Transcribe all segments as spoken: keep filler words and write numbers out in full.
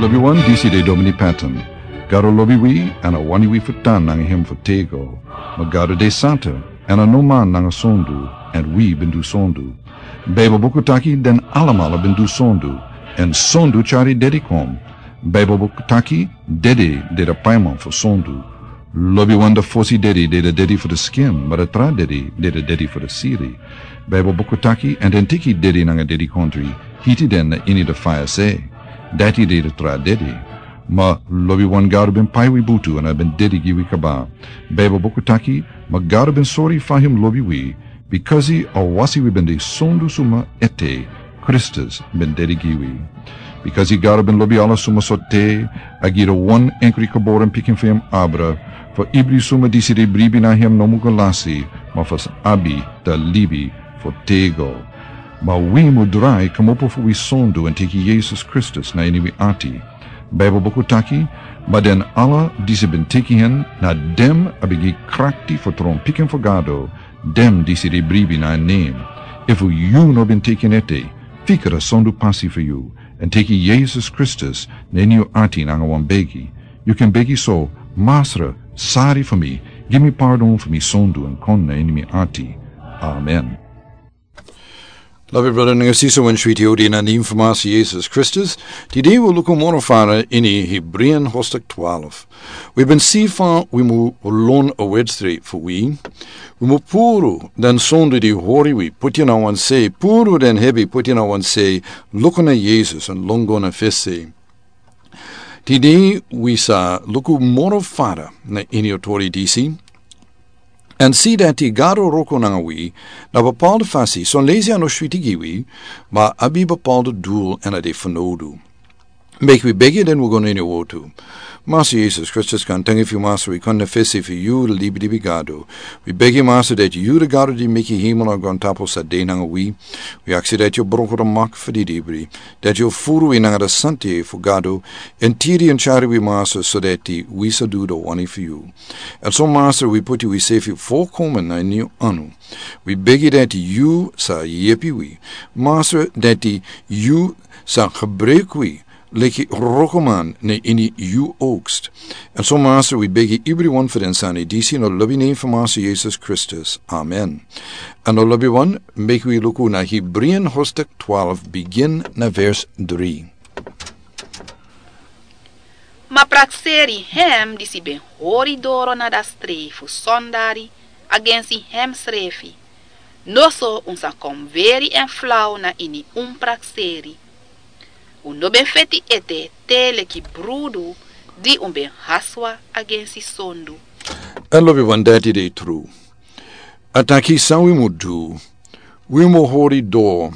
Wi wan disi de Domini Patton. Gado lobi wi, èn a wani wi fu tan nanga hem fu tego. Ma Gado de santa, èn a no man nanga sondu, èn wi ben du sondu. Baibel buku taki den alamala ben du sondu, èn sondu tyari dedi kon. Baibel buku taki dedi de de paiman fu sondu. Lobiwan de fosi dedi de de dedi fu de skin, ma de tra dedi de de dedi fu de siri. Baibel buku taki, èn den teki dedi nanga dedikontri, hiti den na ini de faya se. Dati de de tra dedi. Ma lobiwan Gado ben pai wi butu èn a ben dedi gi wi kaba. Baibel buku taki, ma Gado ben sori fa hem lobi wi, bikasi a wasi wi ben de sondu suma ete, Kristus ben dedi gi wi. Bikasi Gado ben lobi ala suma so te, a gi de wan enkri geboren pikin fu hem abra, fu ibri suma disi de bribi na hem no mu go lasi, ma fu abi da libi fu tego. Ma wi mu drai kmopo fu wi sondu èn teki Yesus Kristus na ini wi ati. Baibel buku taki, ma den ala disi ben teki hen, na dem a ben gi krakti fu tron pikin fu Gado, dem disi de bribi na en nen. Efu yu no ben teki en ete, fika da sondu pasi fu yu, èn teki Yesus Kristus na ini yu ati nanga wan begi. Yu kan begi so, Masra, sari fu mi, gi mi pardon fu mi sondu èn kon na ini mi ati. Amen. Lobi brada nanga sisa, wan switi odi na nen fu Masra Yesus Kristus. Tide wi luku moro fara ini Hebreeën hoofdstuk twaalf. Wi ben si fa wi mu lon a wedstri fu wi. Wi mu puru den sondu di hori wi, puti na wan se, puru den hebi, puti na wan se, luku na Yesus èn lon go na fesi. Tide wi sa luku moro fara na ini a tori disi. Èn si dati Gado wroko nanga wi na bepaalde fasi, son leisi a no switi gi wi, ma a abi bepaalde dul èn a de fanowdu. Meki wi begi den wi go na ini a wortu. Masra Yesus Kristus, gaantangi fu yu Masra, wi kon na fesi fu yu, libi libi Gado. Wi begi Masra dati yu de Gado di meki hemel nanga grontapu sa de nanga wi. Wi aksi dati yu broko da mak fu di dibri, dati yu furu wi nanga da santa fu Gado, èn tiri èn tyari wi Masra, so dati wi sa du da wani fu yu. Èn so Masra, wi puti wi sefi volkomen na ini yu anu. Wi begi dati yu sa yepi wi. Masra, dati yu sa gebruik wi leki wrokoman na ini yu oogst. Èn so Masra, wi begi ibriwan fu den sani disi na lobi nen fu Masra Yesus Kristus. Amen. Èn na lobiwan, meki wi luku na Hebreeën hoofdstuk twaalf, begin na vers drie. Ma prakseri hem disi ben hori doro na da strei fu sondari agensi hem srefi. Noso un sa kon weri èn flau na ini un prakseri. Un no ben feti ete te leki brudu di un ben haswa agensi sondu. Èn lobiwan, dati de tru. A taki san wi mu du, wi mu hori doro,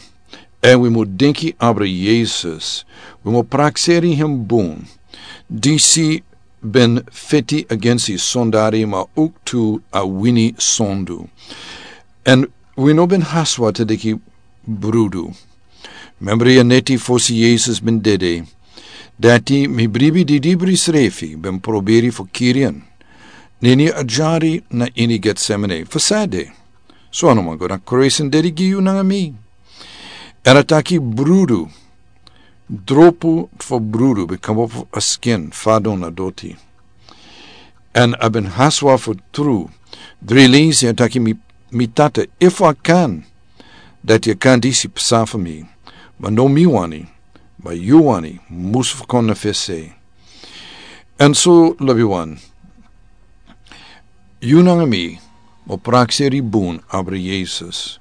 èn wi mu denki abra Yesus, wi mu prakseri hem bun, disi ben feti agensi sondari ma owktu a wini sondu. Èn wi no ben haswa te leki brudu. Membri a neti fosi Yesus ben dede, dati mi bribi didibri srefi ben proberi fu kiri en. Na ini a dyari na ini Getsemane, fu sade. So a no man go na kruis èn dede gi yu nanga mi. Èn a taki brudu, dropu fu brudu ben kmopo fu a skin fadon na doti. Èn a ben haswa fu tru. Dri leisi a taki mi, mi Tata, efu a kan, dati a kan disi psa fu mi. Ma no mi wani, ma yu wani, musu fu kon na fesi. Èn so lobiwan, yu nanga mi mu prakseri bun abra Yesus.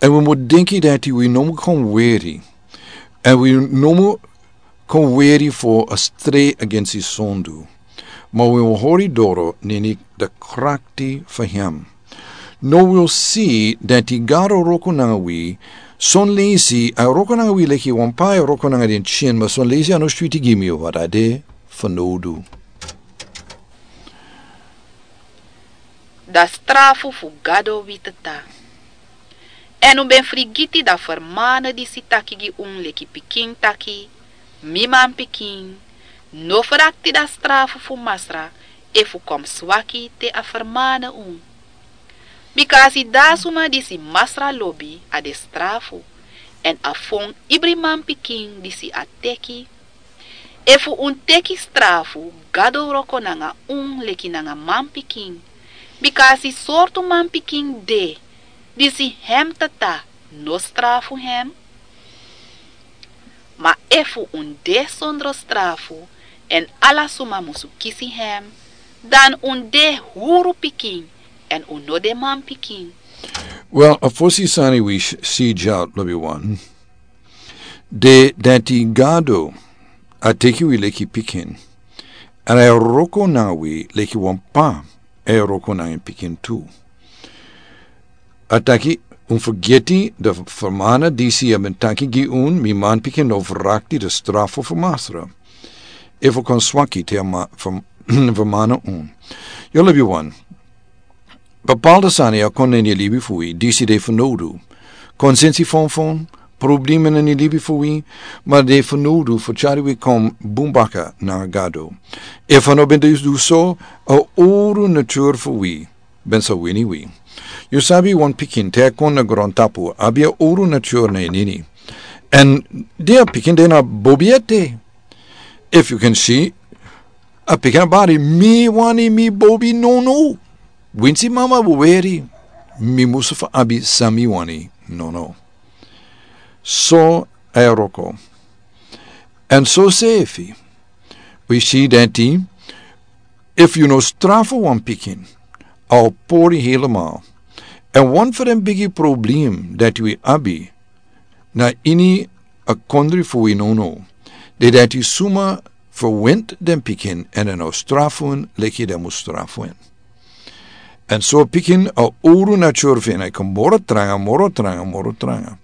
Èn wi mu denki dati wi no mu kon weri. Èn wi no mu kon weri fu a strei agensi sondu. Ma wi mu hori doro na ini da krakti fu hem. No wi o si dati Gado wroko nanga wi, son leisi a wroko nanga wi leki wan pai wroko nanga den tyin, ma son leisi a no switi gi mi, wat a de fanowdu. Da strafu fu Gado witita. Èn un ben frigiti da fermane disi taki gi un leki pikin taki, mi manpikin, no frakti da strafu fu Masra efu kon swaki te a fermane un. Bika a si da suma disi Masra lobi a de strafu, èn a fon ibri manpikin disi a teki, Efu un teki strafu, Gado wroko nanga un leki nanga manpikin. Bika a si sortu manpikin de, disi hem tata no strafu hem. Ma efu un de sondro strafu, èn ala suma musu kisi hem, dan un de huru pikin, èn un no de manpikin. Wel, a fosi sani wi s- si dya, lobi wan. De dati Gado a teki wi leki pikin, èn a e wroko nanga wi leki wan pa e wroko nanga en pikin tu. A taki, un fergeti de fermana disi a ben taki gi un, mi manpikin, no vrakti de strafu fu Masra. Efu kon swaki te a ma- fer- fermana un. Yu lobi wan. Bepaalde sani a kon na ini libi fu wi disi de fenodu. Konsensi fonfon, problema na ini libi fu wi, ma de fenodu fu tyari wi kon bun baka na Gado. Efu a no ben de du so, a owru nature fu wi ben sa wini wi. Yu sabi wan pikin te a kon na grontapu, abi a owru nature na ini. Èn de a pikin de na bobi ete. Efu yu kan si, a pikin a bari, mi wani mi bobi nono. Winsi mama weri, mi musu fu abi san mi wani nono. So a e wroko. Èn so sefi, wi si dati, efu yu no strafu wan pikin, a o pori helemaal. Èn wan fu den bigi problem dati wi abi na ini a kondri fu wi nono, de dati suma ferwint den pikin èn den no strafu en leki den mus strafu en. Èn so pikin a owru nature fu en a e kon moro tranga, moro tranga, moro tranga.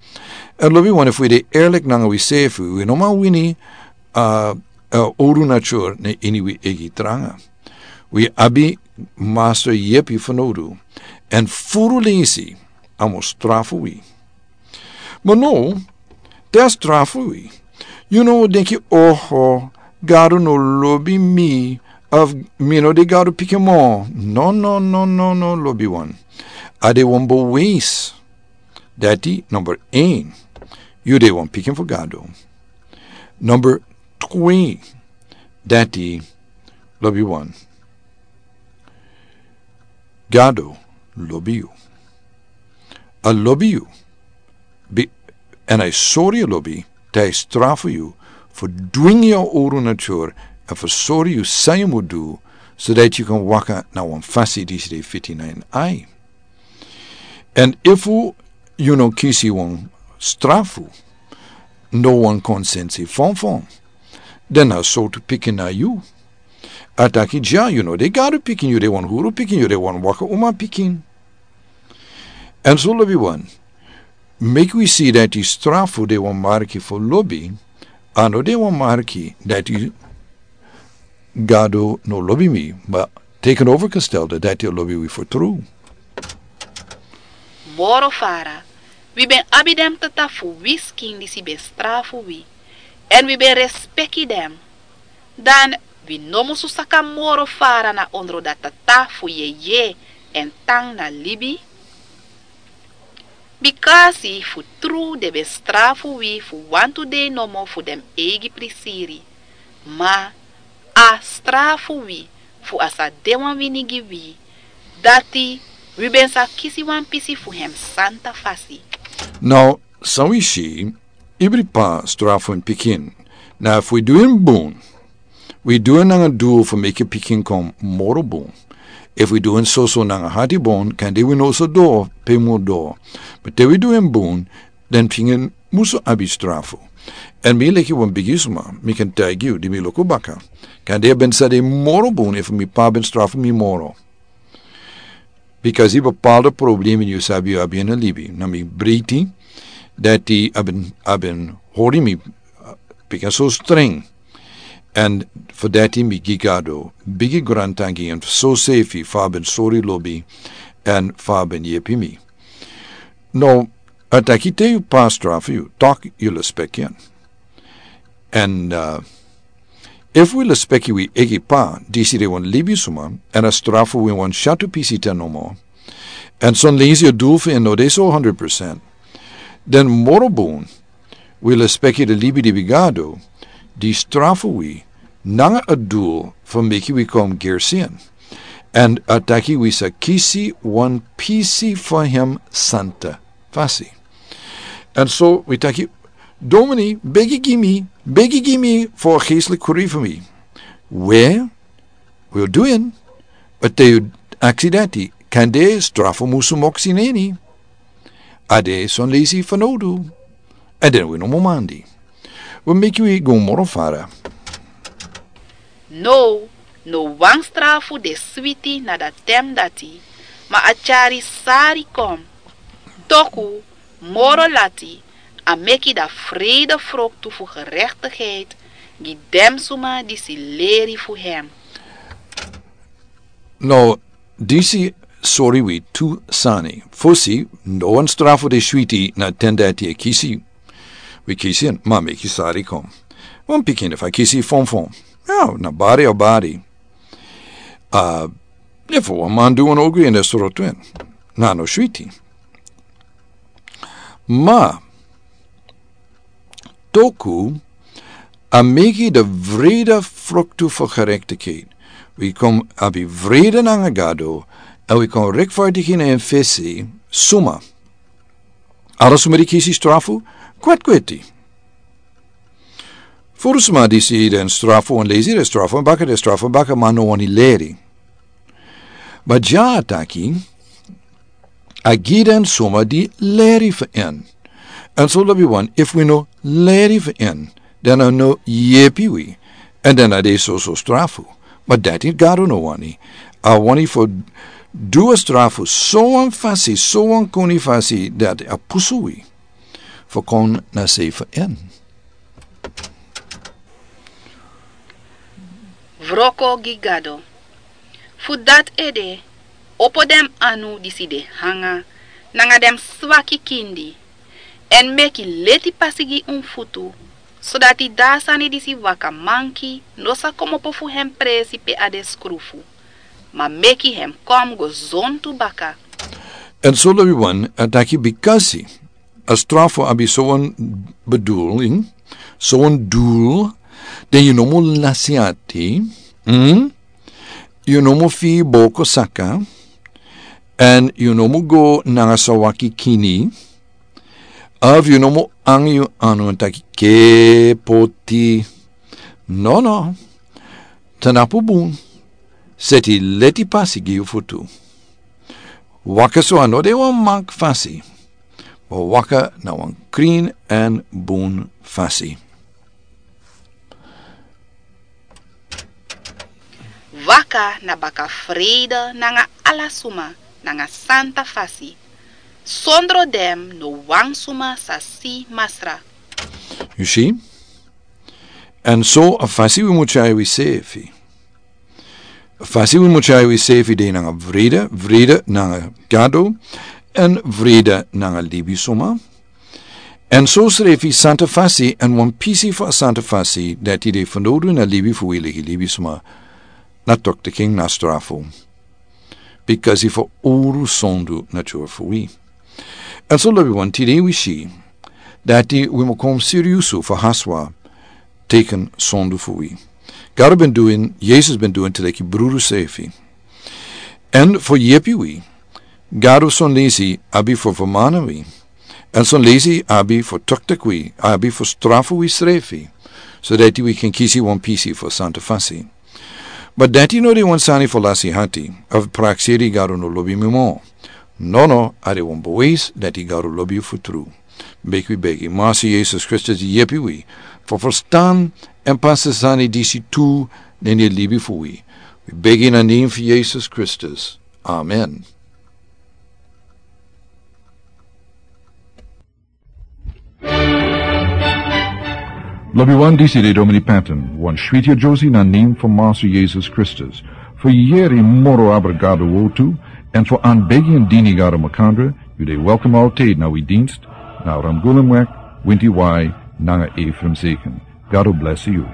Èn lobi wan, efu wi de eerlik nanga wi sefi, wi no man wini a, a owru nature na ini wi eigi tranga. Wi abi Masra yepi fenodu. Èn furu leisi a mus strafu wi. Ma no, te a strafu wi, yu no denki, oho, Gado no lobi mi, of mi no de Gado pikin mo. No, no, no, no, no, lobi wan. A de wan bewijs dati, number één, yu de wan pikin fu Gado. Number twee, dati, lobi wan. Gado lobi yu. A lobi yu. Bi- Èn a e sori yu lobi, te a e strafu yu, fu dwingi yu a owru nature, èn fu sori yu san yu mus du, so dati yu kan waka na wan fasi disi de fiti na en ai. Èn efu yu no kisi wan strafu, no wan konsensi fonfon, dan na sortu pikin na yu. A taki dya, yu no de Gado pikin, yu de wan huru pikin, yu de wan waka uma pikin. Èn so lobi wan, meki wi si dati strafu de wan marki fu lobi, a no de wan marki dati Gado no lobi mi, ma tegenovergestelde dati a lobi wi fu tru. Moro fara, wi ben abi den tata fu wi skin disi ben strafu wi, èn wi ben respeki den. Dan wi no musu saka moro fara na ondro dati tata fu yeye èn tan na libi. Bikasi fu tru den ben strafu wi fu wantu dei nomo fu den eigi prisiri. Ma a strafu wi fu a sa de wan wini gi wi, dati wi ben sa kisi wan pisi fu hem santa fasi. Now, san wi si, ibri pa strafu en pikin. Na efu wi du en bun, wi du en nanga dul fu meki pikin kon moro bun. Efu wi du en soso nanga hati bun, kande wi no sa doro pe wi mus doro. Ma te wi du en bun, den pikin musu abi strafu. Èn mi leki wan bigi suma, mi kan taigi yu di mi luku baka, kande a ben sa de moro bun efu mi pa ben strafu mi moro. Bikasi bepaalde problema yu sabi yu abi ini libi, na mi breiti, dati a ben, a ben hori mi, uh, bika so streng. Èn fu dati mi gi Gado bigi grantangi, èn so sefi fa a ben sori lobi, èn fa a ben yepi mi. No, a taki te yu pa strafu yu, tak' yu lespeki en. Èn, uh, efu wi lespeki wi eigi pa, disi de wan libisuma, èn a strafu wi wan syatu pisi ten nomo, èn son leisi a dul fu en no de so hundred percent, den moro bun wi lespeki den libi di wi gi Gado, di strafu wi nanga a dul fu meki wi kon gersi en. Èn a taki wi sa kisi wan pisi fu hem santa fasi. Èn so wi taki, Domini, begi gi mi, begi gi mi fu a geestelik kuri fu mi. We, wi o du en, a te yu aksi dati, kande strafu musu moksi neni. A de son leisi fanowdu. Èn den wi no mumandi. Wi meki wi go moro fara. Now, no wan strafu de switi na dati ten dati, ma a tyari sari kon. Toku, moro lati, a meki dati vrede froktu fu gerechtigheid gi den suma disi leri fu hem. No, disi sori wi tu sani. Fosi, no wan strafu de switi na ten dati e kisi. Wi kisi en, ma meki sari kon. Wan pikin efu a kisi fonfon. Ya, na bari a bari. A, efu wan man du wan ogri èn a srotu en. Na no switi. Ma, toku, a meki dati vrede froktu fu gerechtigheid. Wi kon abi vrede nanga Gado, èn wi kon rechtvaardig na en fesi, suma. Ala suma di kisi strafu, kwetkweti. Furu suma disi den strafu, wan leisi den strafu, baka den strafu, baka ma no wani leri. Ma dya a taki, a gi den suma di leri fu en. Èn so lobi wan, efu wi no leri fu en, dan a no yepi wi, èn dan a de soso strafu. Ma dati Gado no wani. A wani fu du a strafu so wan fasi, so wan koni fasi, dati a pusu wi fu kon na sei fu en. Wroko gi Gado. Fu dati ede, opo den anu disi de hanga, nanga den swaki kindi, èn meki leti pasi gi un futu, sodati a sani disi waka manki no sa komopo fu hem presi pe a de skrufu, ma meki hem kon go zontu baka. Èn so lobi wan a taki bikasi a strafu abi so wan bedoeling, so wan dul, dan yu no mu lasi ati, mm? Yu no mu firi boko saka, èn yu no mu go nanga swaki kini, of yu no mu hanga yu anu èn taki ke poti. No, no. Tanapu bun, seti leti pasi gi yu futu. Waka so a no de wan mak fasi, ma waka na wan krin èn bun fasi. Waka na baka frede nanga ala suma, nanga santa fasi. Sondro den no wan suma sa si Masra. Yu si? Èn so a fasi wi mu tyari wi sefi. A fasi wi mu tyari wi sefi de nanga vrede, vrede nanga Gado, èn vrede nanga libisuma. Èn so srefi santa fasi, èn wan pisi fu a santa fasi, dati de fanowdu na libi fu wi leki libisuma, na toktiking na strafu. Bikasi fu uru sondu na tyari fu wi. Èn so lobi wan tide wi si, dati wi mu kon siriusu fu haswa teken sondu fu wi. Gado ben du en, Yesus ben du en te leki brudu sefi. Èn fu yepi wi, Gado son leisi abi fu fermana wi. Èn son leisi abi fu toktik wi, abi fu strafu wi srefi. Sodati wi kan kisi wan pisi fu santa fasi. Ma dati no de wan sani fu lasi hati, of prakseri Gado no lobi mi mo. Nono, a de wan bewijs dati Gado lobi yu fu tru. Meki wi begi, Masi Yesus Kristus yepi wi fu ferstan èn pasa sani disi tu na ini a libi fu wi. Wi begi na nen fu Yesus Kristus. Amen. Lobi wan, disi de Domini Patton, wan switi a Josi na nen fu Masi Yesus Kristus. Fu yeri moro abra Gado wortu, èn fu anbegi èn dini Gado makandra, yu de welkom altid na wi dinst, na Ramgulumwek, Winti Wai, nanga Efrem Zeken. Gado blesi yu.